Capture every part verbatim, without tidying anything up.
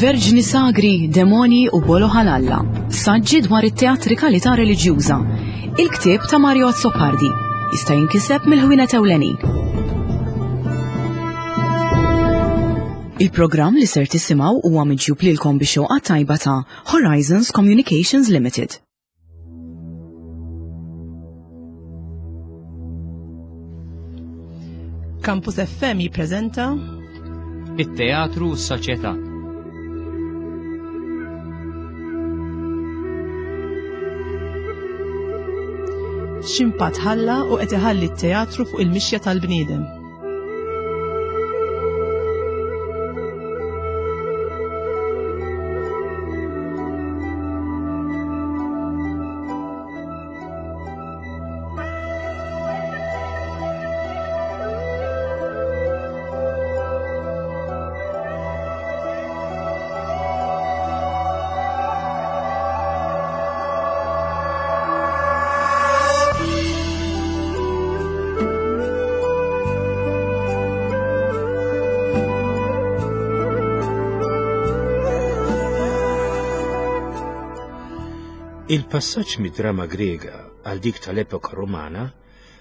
Verġni Sagri, Demoni u Bolo Ħalalla. Saġġi dwar it-teatrikalità reliġjuża. Il-ktieb ta' Mario Azzopardi jista' jinkiseb mill-ħwienet ewlenin. Il-programm li ser tisimgħu huwa miġjub lilkom bix xewqa tajba ta' Horizons Communications Limited. Campus F M jippreżenta It-Teatru u s-Soċjetà. X'impatt ħalla u qed iħalli t-teatru fuq il-mixja tal-bniedem. Il-passaġġ mid-drama Grega għal dik tal-epoka Rumana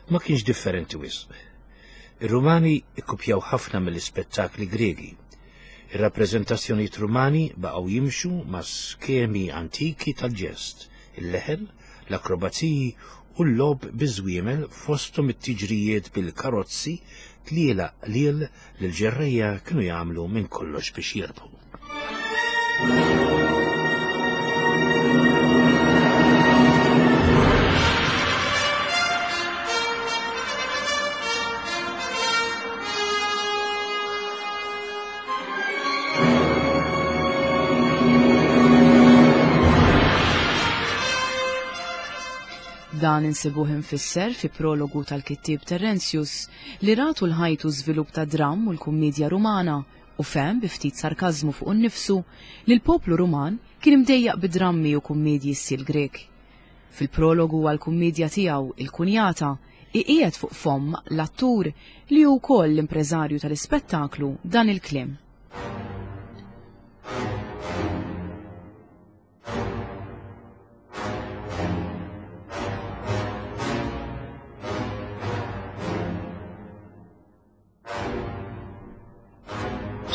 ma kienx differenti wisq. Ir-Rumani ikkupjaw ħafna mill-ispettakli Gregi. Ir-rappreżentazzjonijiet Rumani baqgħu jimxu ma' skemi antiki tal-ġest, il-leħen, l-akrobaziji u l-logħob biż-żwiemel fosthom it-tiġrijiet bil-karozzi tliela qliel li l-ġerrejja kienu jagħmlu minn kollox biex jirbħu. Dan insibuh infisser fi prologu tal-kittieb Terentius li ratu l-ħajtu żvilupp ta' dramm u l-kummedja Rumana u fehem bi ftit sarkażmu fuq innifsu li l-poplu Ruman kien imdejjaq bi drammi u kummedji stil Grek. Fil-prologu għall-kummedja tiegħu il-Kunjata iqiegħed fuq fomm l-attur li hu wkoll l-impreżarju tal-ispettaklu dan il-kliem.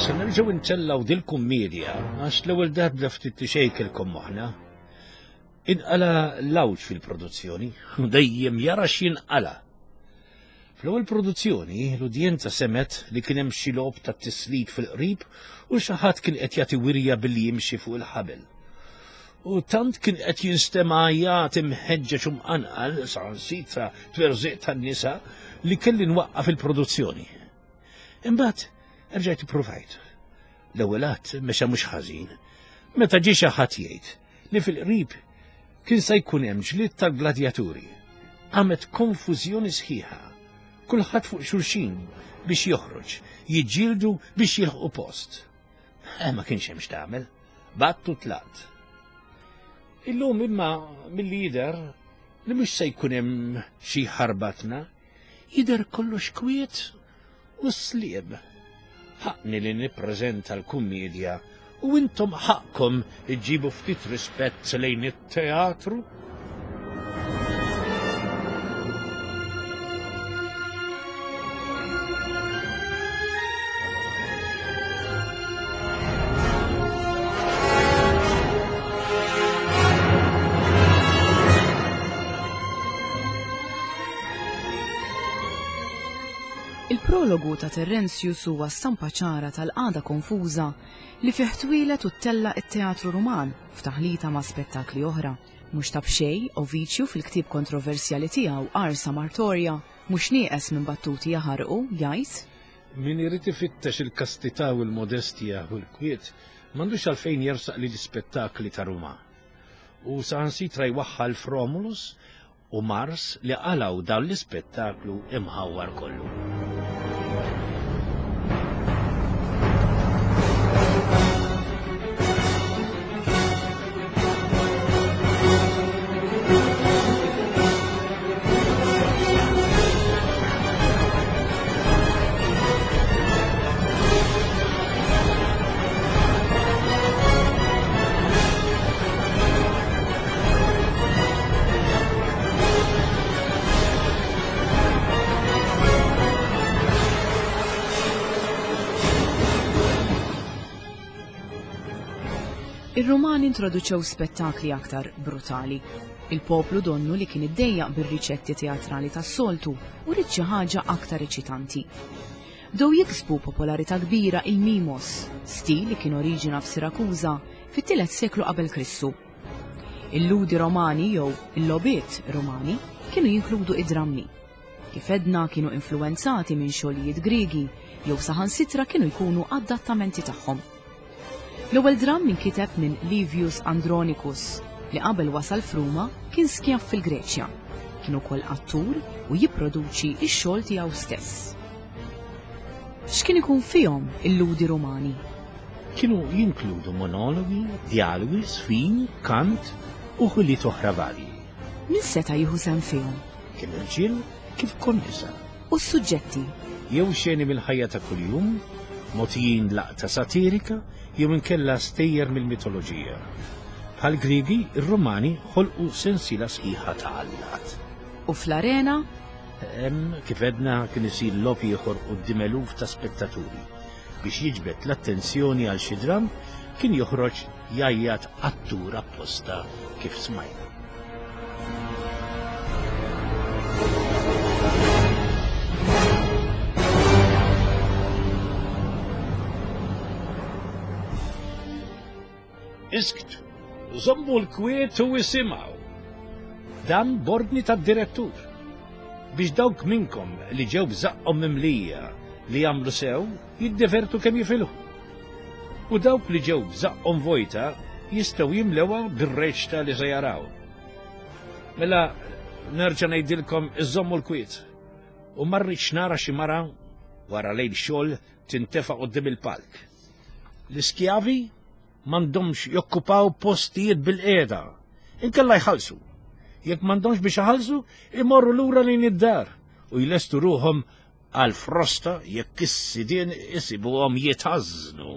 Se nerġgħu ntellgħu dil-kummedja għax l-ewwel darba ftit li xejn kelkom moħħna. Inqala l-għawġ fil-produzzjoni, u dejjem jara x'jinqala. Fl-ewwel produzzjoni l-udjenza semet li kien hemm xi logħob ta' tislit fil-qrib u xi ħadd kien qed jagħti wirja billi jimxi fuq il-ħabel. U tant kien qed jinstema' jagħti mħeġġeġ u mqanqal saħansitra twerżiq tan-nisa li kelli nwaqqaf il-produzzjoni. Imbagħad rġajt ippruvajt. L-ewwel att mexa mhux ħażin. Meta ġie xi ħadd jgħid li fil-qrib kien se jkun hemm ġlied tal-gladjaturi. Qamet konfużjoni sħiħa. Kulħadd fuq xulxin biex joħroġ, jiġġieldu biex jilħqu post. Eh, ma kienx hemm x'tagħmel. Battu tlaqt. Illum imma milli jidher li mhux se jkun hemm xi ħarbatna, jidher kollox kwiet u sliem. Ħaqni li nippreżenta l-kummedja u intom ħaqkom iġibu ftit rispett lejn it-teatru. Il-prologu ta' Terentius huwa stampa ċara tal-qagħda konfuża li fih twieled u ttella' it-teatru Ruman f'taħlita ma' spettakli oħra. Mhux ta' b'xejn Ovidiu fil-ktieb kontroversjali tiegħu Ars Amatoria mhux nieqes minn battuti jaħarqu jgħid: Min irid ifittex il-kastità u l-modestja u l-kwiet m'għandux għalfejn jersaq li l-ispettakli ta' Ruma. U saħansitra jwaħħal f'Romulus u Mars li qalgħu dan l-ispettaklu imħawwar kollu. Ir-Rumani introduċew spettakli aktar brutali. Il-poplu donnu li kien iddejjaq bir-riċetti teatrali tas-soltu u ried xi ħaġa aktar eċitanti. Bdew jiksbu popolarità kbira il-mimos, stil li kien oriġina f'Sirakuża fit-tielet seklu qabel Kristu. Il-ludi Romani jew il-lobiet Romani kienu jinkludu id-drammi. Kif edna kienu influenzati minn xogħlijiet Griegi jew saħansitra kienu jkunu adattamenti tagħhom. L-ewwel dramm inkiteb minn Livius Andronicus li qabel wasal f'Ruma kien skjav fil-Greċja. Kien ukoll attur u jipproduċi x-xogħol tiegħu stess. X'kien ikun fihom il-ludi Rumani? Kienu jinkludu monologi, dialogi, sfin, kant u ħiliet oħra varji. Min seta' jieħu sehem fihom? Kien irġiel kif ukoll nisa. U s-suġġetti? Jew xeni mill-ħajja ta' kuljum, mogħtijin laqta satirika, jew inkella stejjer mill-mitoloġija. Bħal Griegi, ir-Rumani ħolqu sensiela sħiħa ta' allat. U fl-arena? Hemm kif edna kien isir logħob ieħor quddiem eluf ta' spettaturi. Biex jiġbed l-attenzjoni għal xi dramm, kien joħroġ jgħajjat attur apposta kif smajna. Isktu, żommu l-kwiet u isimgħu. Dan b'ordni tad-direttur. Biex dawk minnkom li ġew b'żaqqhom mimlija li jagħmlu sew, jiddevertu kemm jifilħu. U dawk li ġew b'żaqqhom vojta jistgħu jimlewha bir-reċta li se jaraw. Mela nerġa' ngħidilkom iżommu l-kwiet. U ma rridx nara xi mara wara lejl xogħol tintefa' quddiem il-palk. L-iskjavi m'għandhomx jokkupaw postijiet bil-qiegħda, inkella jħallsu. Jekk m'għandhomx biex iħallsu, imorru lura lejn id-dar u jlestu ruhom għal frosta jekk is-sidien isibuhom jitgħażżnu.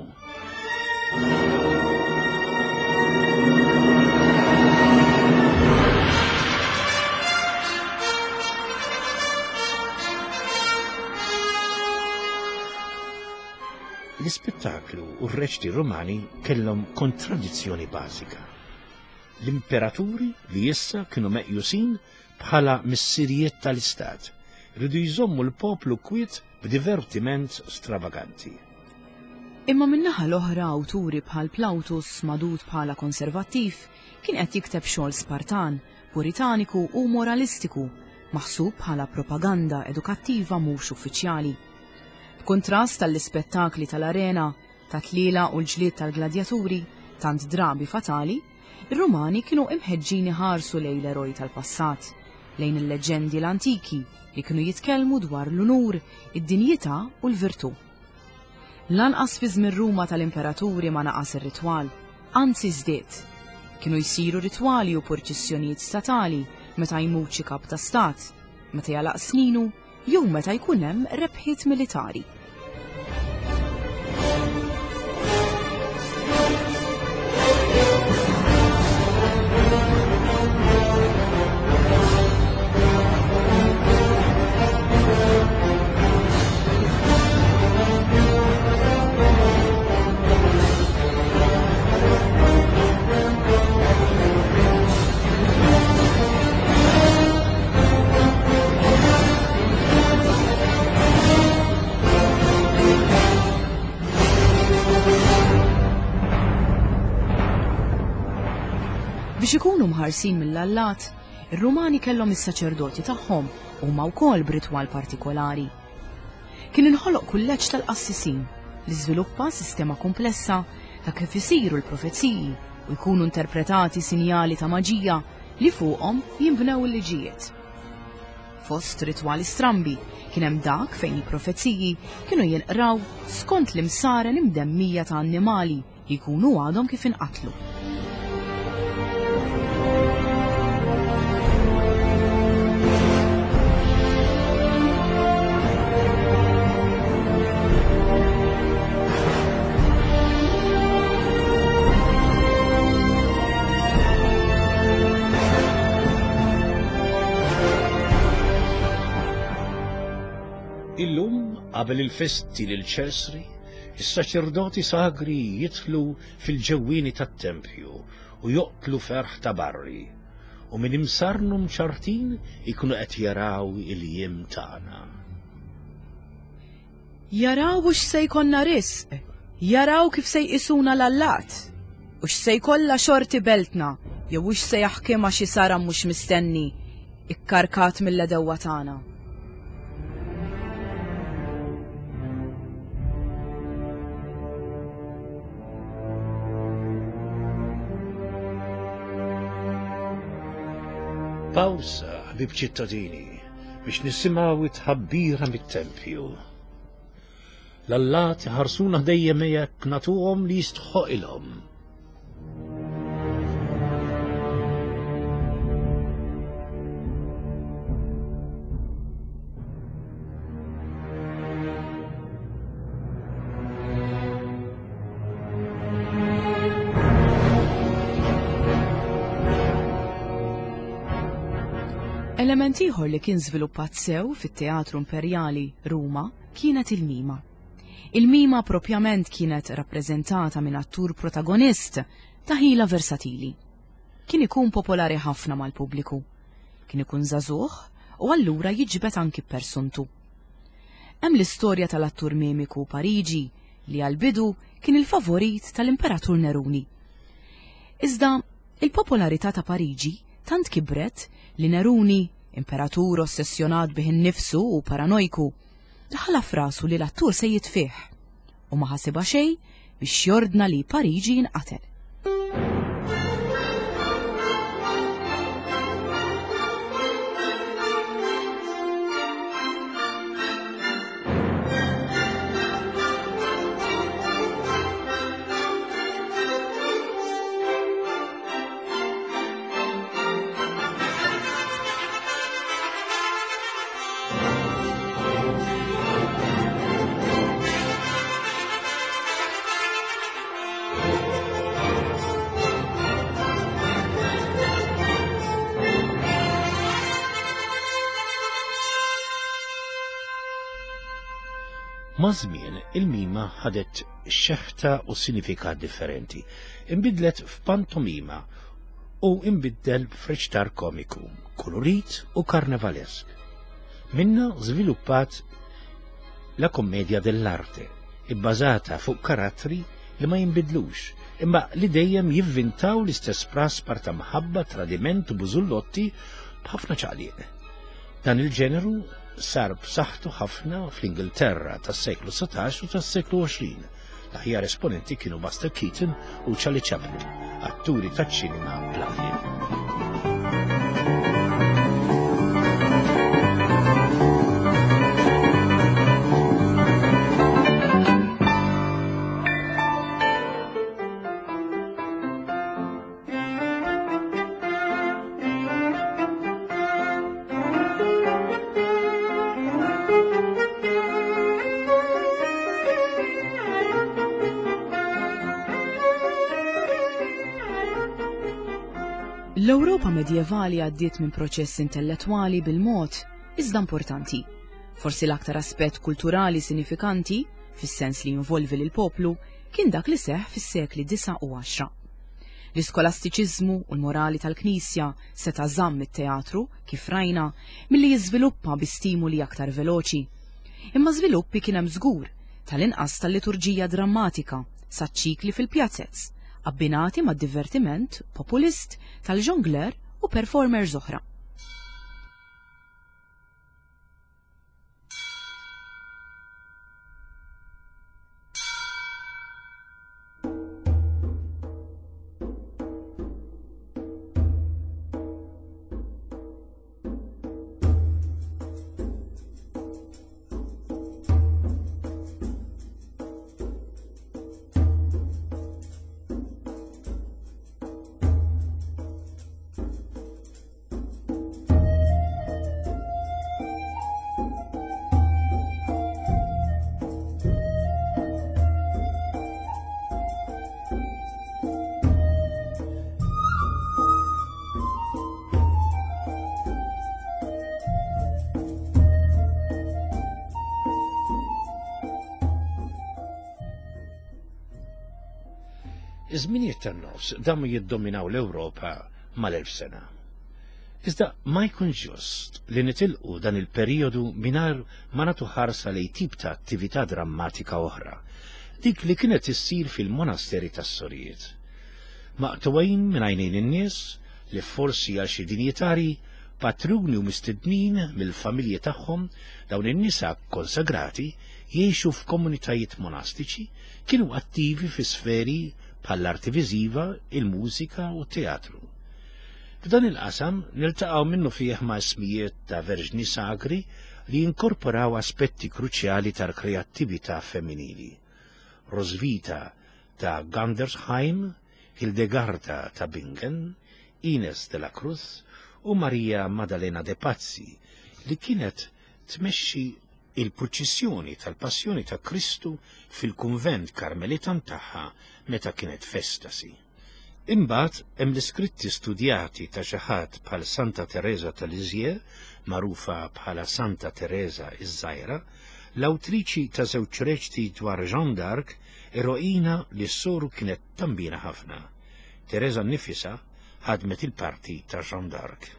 L-ispettaklu u r-reċti Rumani kellhom kontradizzjoni bażika. L-imperaturi li issa kienu meqjusin bħala missirijiet tal-istat rridu jżommu l-poplu kwiet b'divertiment stravaganti. Imma min-naħa l-oħra awturi bħal Plautus, madud bħala konservattiv, kien qed jikteb xogħol Spartan, puritaniku u moralistiku, maħsub bħala propaganda edukattiva mhux uffiċjali. B'kuntrast tal-ispettakli tal-arena, ta' tliela u l-ġlied tal-gladjaturi, tant drabi fatali, ir-Rumani kienu imħeġġin iħarsu lejn l-eroj tal-passat, lejn il-leġendi l-antiki li kienu jitkellmu dwar l-unur, id-dinjità u l-virtù. Lanqas fi żmien Ruma tal-imperaturi ma naqas ir-ritwal, anzi żdied. Kienu jsiru ritwali u purċissjonijiet statali meta jmut xi kap ta' stat, meta jalaq sninu jew meta jkun hemm rebħiet militari. Biex ikunu mħarsin mill-allat, ir-Rumani kellhom is-saċerdoti tagħhom huma wkoll b'ritwal partikolari. Kien inħoloq kulleġġ tal-qassisin li żviluppa sistema komplessa ta' kif isiru l-profeziji u jkunu interpretati sinjali ta' maġija li fuqhom jinbnew il-liġijiet. Fost ritwali strambi kien hemm dak fejn il-profeziji kienu jinqraw skont l-imsaren imdemmija ta' annimali li jkunu għadhom kif inqatlu. Illum qabel il-festi lil Ċesri, Is-saċerdoti sagri jidħlu fil-ġewwieni tat-tempju u joqtlu ferħ ta' barri, u minn imsarnu mċartin ikunu qed jaraw il-jiem tagħna. Jaraw hux se jkollna risq, jaraw kif se jqisuna l-allat, u x'se jkollha xorti beltna, jew hux se jaħkimha xi saram mhux mistenni, ikkarkat mill-edewwa tagħna. Pawsa, ħbieb ċittadini, biex nisimgħu it-tħabbira mit-tempju. L-allat ħarsuna dejjem jekk nagħtuhom li jistħoqilhom. Element ieħor li kien żviluppat sew fit-Teatru Imperjali Ruma kienet il-mima. Il-mima propjament kienet rappreżentata minn attur protagonist ta' ħila versatili. Kien ikun popolari ħafna mal-pubbliku. Kien ikun żagħżugħ u allura jiġbed anki persuntu. Hemm l-istorja tal-attur mimiku Pariġi li għal-bidu kien il-favorit tal-Imperatur Neruni. Iżda il-popolarità ta' Pariġi tant kibret li Neruni, imperatur ossessjonat bih innifsu u paranojku, daħla f'rasu li l-attur se jitfih u ma ħasibha xejn biex jordna li Pariġi jinqatel. Maż-żmien il-mima ħadet xeħta u sinifikat differenti, inbidlet f'pantomima u inbiddel f'reċtar komiku, kolorit u karnevalesk. Minna żviluppat la commedia dell'arte, ibbażata fuq karattri li ma jinbidlux, imma li dejjem jivvintaw l-istess praspar ta' mħabba, tradiment u bużullotti b'ħafna ċaqliq. Dan il-ġeneru sar b'saħħtu ħafna fl-Ingilterra tas-seklu satax u tas-seklu għoxrin. L-aħjar esponenti kienu Buster Keaton u Charlie Chaplin, atturi taċ-ċinema bla. L-Ewropa medjevali għaddiet minn proċess intellettwali bil-mod, iżda importanti. Forsi l-aktar aspett kulturali sinifikanti, fis-sens li jinvolvi lil poplu, kien dak li seħħ fis-sekli disa u għaxra. L-iskolastiċiżmu u l-morali tal-Knisja seta' żamm it-teatru, kif rajna, milli jiżviluppa bi stimuli aktar veloċi. Imma żviluppi kien hemm żgur, tal-inqas tal-liturġija drammatika, saċ-ċikli fil-pjazzez, abbinati ma' divertiment populist tal-jongleur u performers oħra. Iż-żminijiet tan-nofs damu jiddominaw l-Ewropa mal-elf sena. Iżda ma jkun ġust li nitilqu dan il-perjodu mingħajr ma nagħtu ħarsa lejn tip ta' attività drammatika oħra, dik li kienet issir fil-monasteri tas-sorijiet. Maqtugħin minn għajnejn in-nies li forsi għal xi dinjitari, patruni u mistednin mill-familji tagħhom, dawn in-nisa konsagrati jgħixu f'komunitajiet monastiċi, kienu attivi fi sferi bħall-arti viżiva, il-mużika u t-teatru. F'dan il-qasam niltaqgħu minnu fih ma' ismijiet ta' verġni sagri li jinkorporaw aspetti kruċjali tal-kreattività femminili. Rosvita ta' Gandersheim, Hildegarda ta' Bingen, Ines de la Cruz u Maria Maddalena de Pazzi li kienet tmexxi il-purċissjoni tal-Passjoni ta' Kristu fil-kunvent Karmelitan tagħha meta kienet f'estasi. Imbagħad hemm l-iskritti studjati ta' xi ħadd bħal Santa Teresa ta' Lisieux, magħrufa bħala Santa Teresa iż-Żgħira, l-awtriċi ta' żewġ reċti dwar Jeanne d'Arc, eroina li s-soru kienet tambina ħafna. Teresa nnifisha ħadmet il-parti ta' Jeanne d'Arc.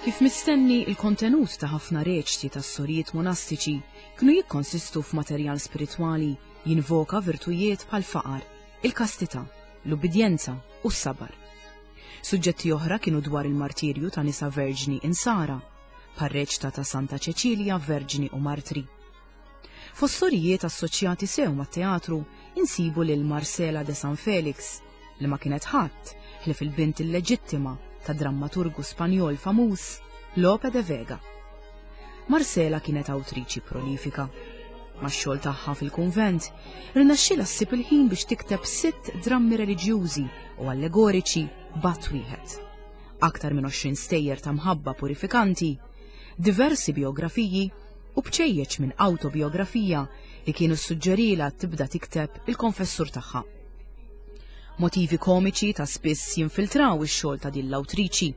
Kif mistenni, il-kontenut ta' ħafna reċti tas-sorijiet monastiċi kienu jikkonsistu f'materjal spiritwali jinvoka virtujiet bħal faqar, il-kastità, l-ubbidjenza u s-sabar. Suġġetti oħra kienu dwar il-martirju ta' nisa verġni insara, bħal reċta ta' Santa Ċeċilja Verġni u Martri. Fost sorijiet assoċjati sew mat-teatru insibu lil Marcela de San Felix, li ma kienet ħadd ħlief il-bint illeġittima ta' drammaturgu Spanjol famuż Lope de Vega. Marcela kienet awtriċi prolifika. Max-xogħol tagħha fil-kunvent, rnexxielha ssib il-ħin biex tikteb sitt drammi reliġjużi u allegoriċi b'att wieħed. Aktar minn għoxrin stejjer ta' mħabba purifikanti, diversi biografiji u bċejjeċ minn autobiografija li kienu suġġerila tibda tikteb il-konfessur tagħha. Motivi komiċi ta' spiss jinfiltraw ix-xogħol ta' din l-awtriċi.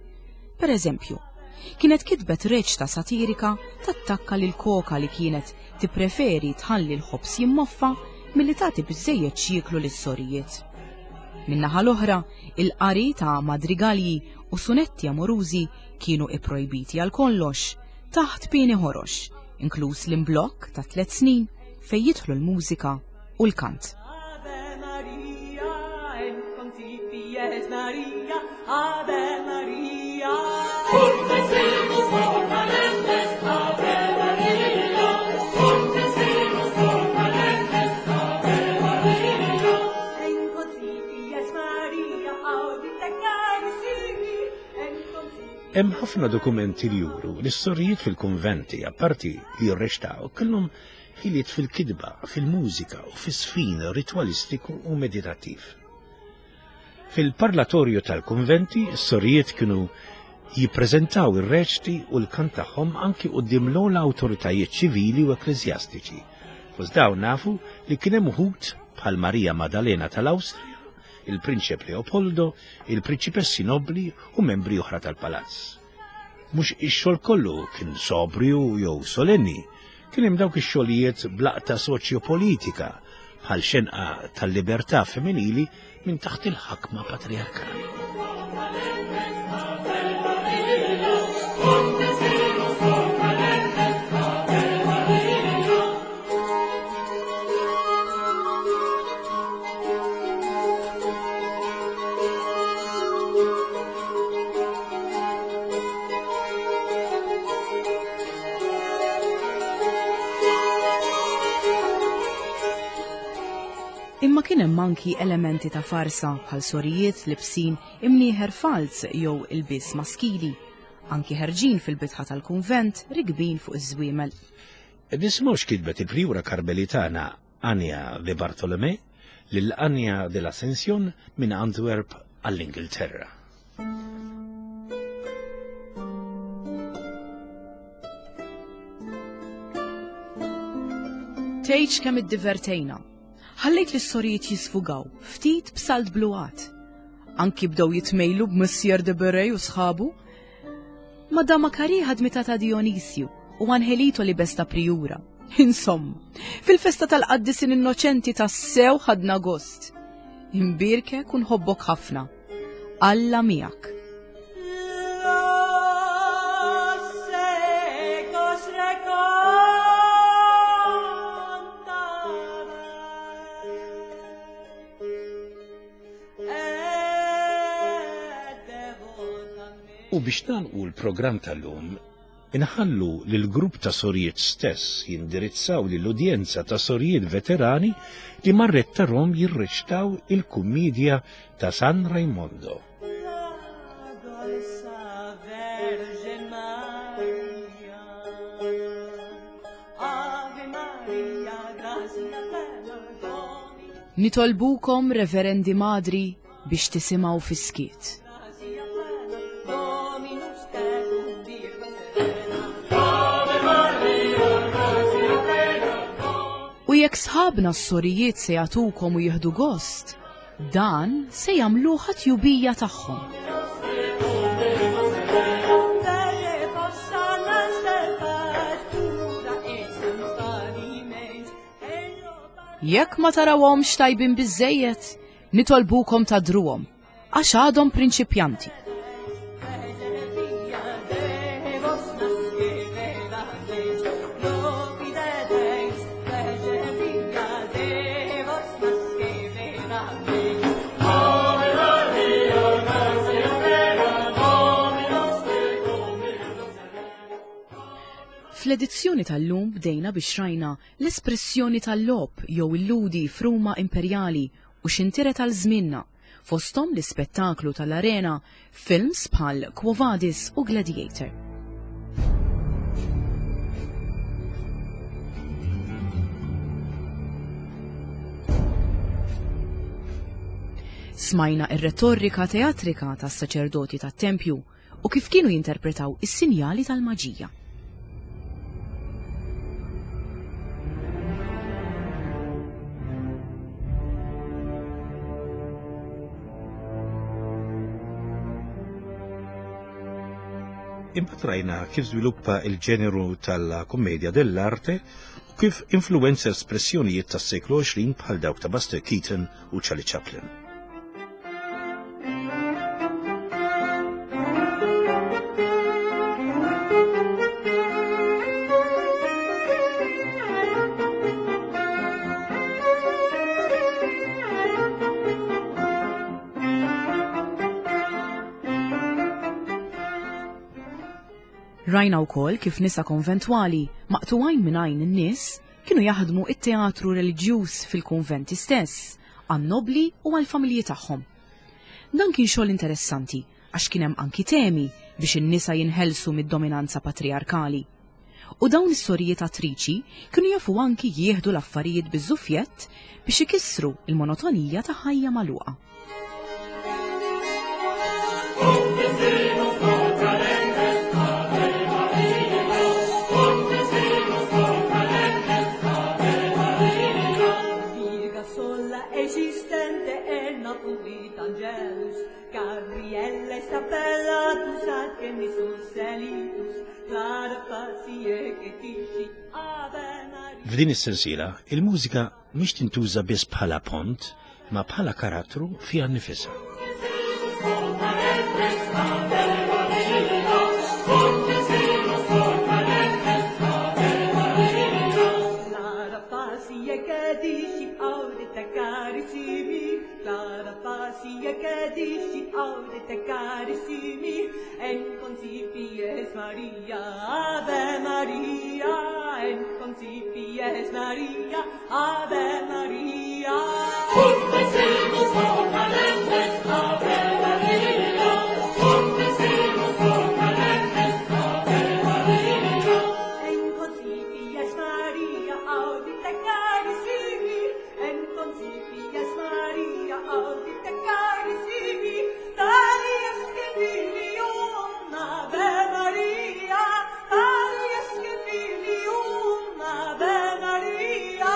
Per eżempju, kienet kitbet reċta satirika tattakka lil koka li kienet tippreferi tħalli l-ħobż jimmoffa milli tagħti biżejjed x'jieklu lis-sorijiet. Min-naħa l-oħra, il-qari ta' madrigalji u sunetti amorużi kienu ipprojbiti għal kollox taħt pieni ħorox, inkluż l-imblokk ta' tliet snin fejn jidħlu l-mużika u l-kant. Maria, Ave Maria. Ave Maria, Hemm ħafna dokumenti li juru li s-sorijiet fil-kunventi, apparti li jirrextaw, kellhom ħiliet fil-kitba, fil-mużika u fis-sfin ritwalistiku u meditattiv. Fil-parlatorju tal-kunventi, s-sorijiet kienu jippreżentaw ir-reċti u l-kant tagħhom anki quddiem l-ogħla awtoritajiet ċivili u ekkleżjastiċi. Fost dawn nafu li kien hemm uħud bħal Marija Maddalena tal-Awstrija, il-Prinċep Leopoldo, il-Prinċipessi Nobli u membri oħra tal-palazz. Mhux ix-xogħol kollu kien sobrju jew solenni, kien hemm dawk ix-xogħlijiet blaqta soċjopolitika bħal xenqa tal-libertà femminili minn taħt il-ħakma patriarkali. Imma kien hemm anki elementi ta' farsa bħal sorijiet libsin imnieħer falz jew ilbies maskili, anki ħerġin fil-bitħa tal-kunvent rikbin fuq iż-żwiemel. Nisimgħu x'kitbet il-Priura Karmelitana Anja de Bartolomé lil Anja de l'Ascension minn Antwerp għall-Ingilterra. Tgħidx kemm iddivertejna. Ħallejt lis-sorijiet jisfugaw ftit b'salt bluat. Anki bdew jitmejlu b'Missier de Berej u sħabu. Madama Kari ħadmita ta' Dionisju u Angelito li besta prijura. Insomma, fil-festa tal-qaddisin innoċenti tassew ħadna gost. Imbirkek u nħobbok ħafna. Alla miegħek. Los secos recontaban et devotamente. U biex nagħlqu l-programm tal-lum, inħallu lil grupp ta' sorijiet stess jindirizzaw lill-udjenza ta' sorijiet veterani li marret tarhom jirreċtaw il-kummedja ta' San Raimondo. La dolce Vergine Maria, Ave Maria, grazia plena, Domine, Nitolbukom, Reverendi Madri, biex tisimgħu fis-skiet. grazia plena, Dominus tecum, Virgo serena. U jekk sħabna s-sorijiet se jagħtukom u jieħdu gost, dan se jagħmluha tjubija tagħhom. Delle possana stelpas, pura et sans ello Jekk ma tarawhomx tajbin biżejjed, nitolbukom tadruhom, għax għadhom prinċipjanti. Fl-edizzjoni tal-lum bdejna biex rajna l-espressjoni tal-logħob jew il-ludi f'Ruma Imperjali u x'intiret għal żmienna, fosthom l-ispettaklu tal-arena, films bħal Quo Vadis u Gladiator. Smajna ir-retorika teatrika tas-saċerdoti tat-tempju u kif kienu jinterpretaw is-sinjali tal-maġija. Imbagħad rajna kif żviluppa il-ġeneru tal-kummedia dell'arte u kif influenza espressjonijiet tas-seklu għoxrin bħal dawk ta' Buster Keaton u Charlie Chaplin. Rajna wkoll kif nisa konventwali maqtuwajn minn għajn in-nies kienu jaħdmu it-teatru reliġjuż fil-kunventi stess, għan-nobli u għall-familji tagħhom. Dan kien xogħol interessanti għax kien hemm anki temi biex in-nisa jinħelsu mid-dominanza patriarkali. U dawn is-sorijiet attriċi kienu jafu anki jieħdu l-affarijiet biż-żufjett biex ikissru il-monotonija ta' ħajja magħluqa. Virga sola esistente e naturit angelus, Gabriele sapellatus ad genisus elitus, clara facie che tisci Ave Maria. F'din is-sensiela, il-mużika mhix tintuża biss bħala pont, ma bħala karattru fiha nnifisha. Clara facie che dici audite carissimi, Clara facie che dici audite carissimi, en concipies Maria, Ave Maria, en concipies Maria, Ave Maria. En concipies Maria, audite carissimi, en concipies Maria, audite carissimi, tali est filium, Ave Maria, tali est filium, Ave Maria.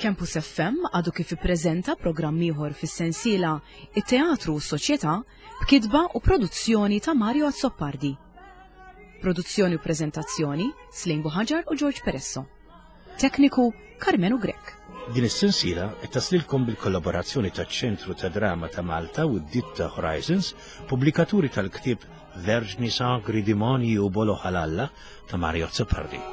Campus F M għadu kif ippreżenta programm ieħor fis-sensiela It-Teatru u s-Soċjetà b'kitba u produzzjoni ta' Mario Azzopardi. Produzzjoni u preżentazzjoni Slim Buhaġar u George Peresso. Tekniku Carmenu Grech. Din is-sensiela qed taslilkom bil-kollaborazzjoni taċ-Ċentru ta' Drama ta' Malta u d-Ditta Horizons, pubblikaturi tal-ktieb Verġni Sagri Demonji u Bolo Ħalalla ta' Mario Azzopardi.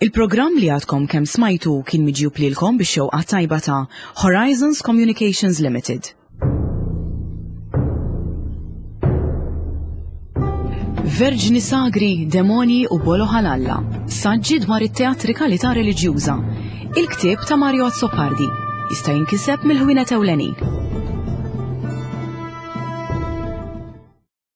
Il-programm li għadkom kemm smajtu kien miġjub lilkom bix-xewqa tajba ta' Horizons Communications Limited. Verġni Sagri, Demonji u Bolo Ħalalla, saġġi dwar it-teatrikalità reliġjuża. Il-ktieb ta' Mario Azzopardi jista' jinkiseb mill-ħwienet ewlenin.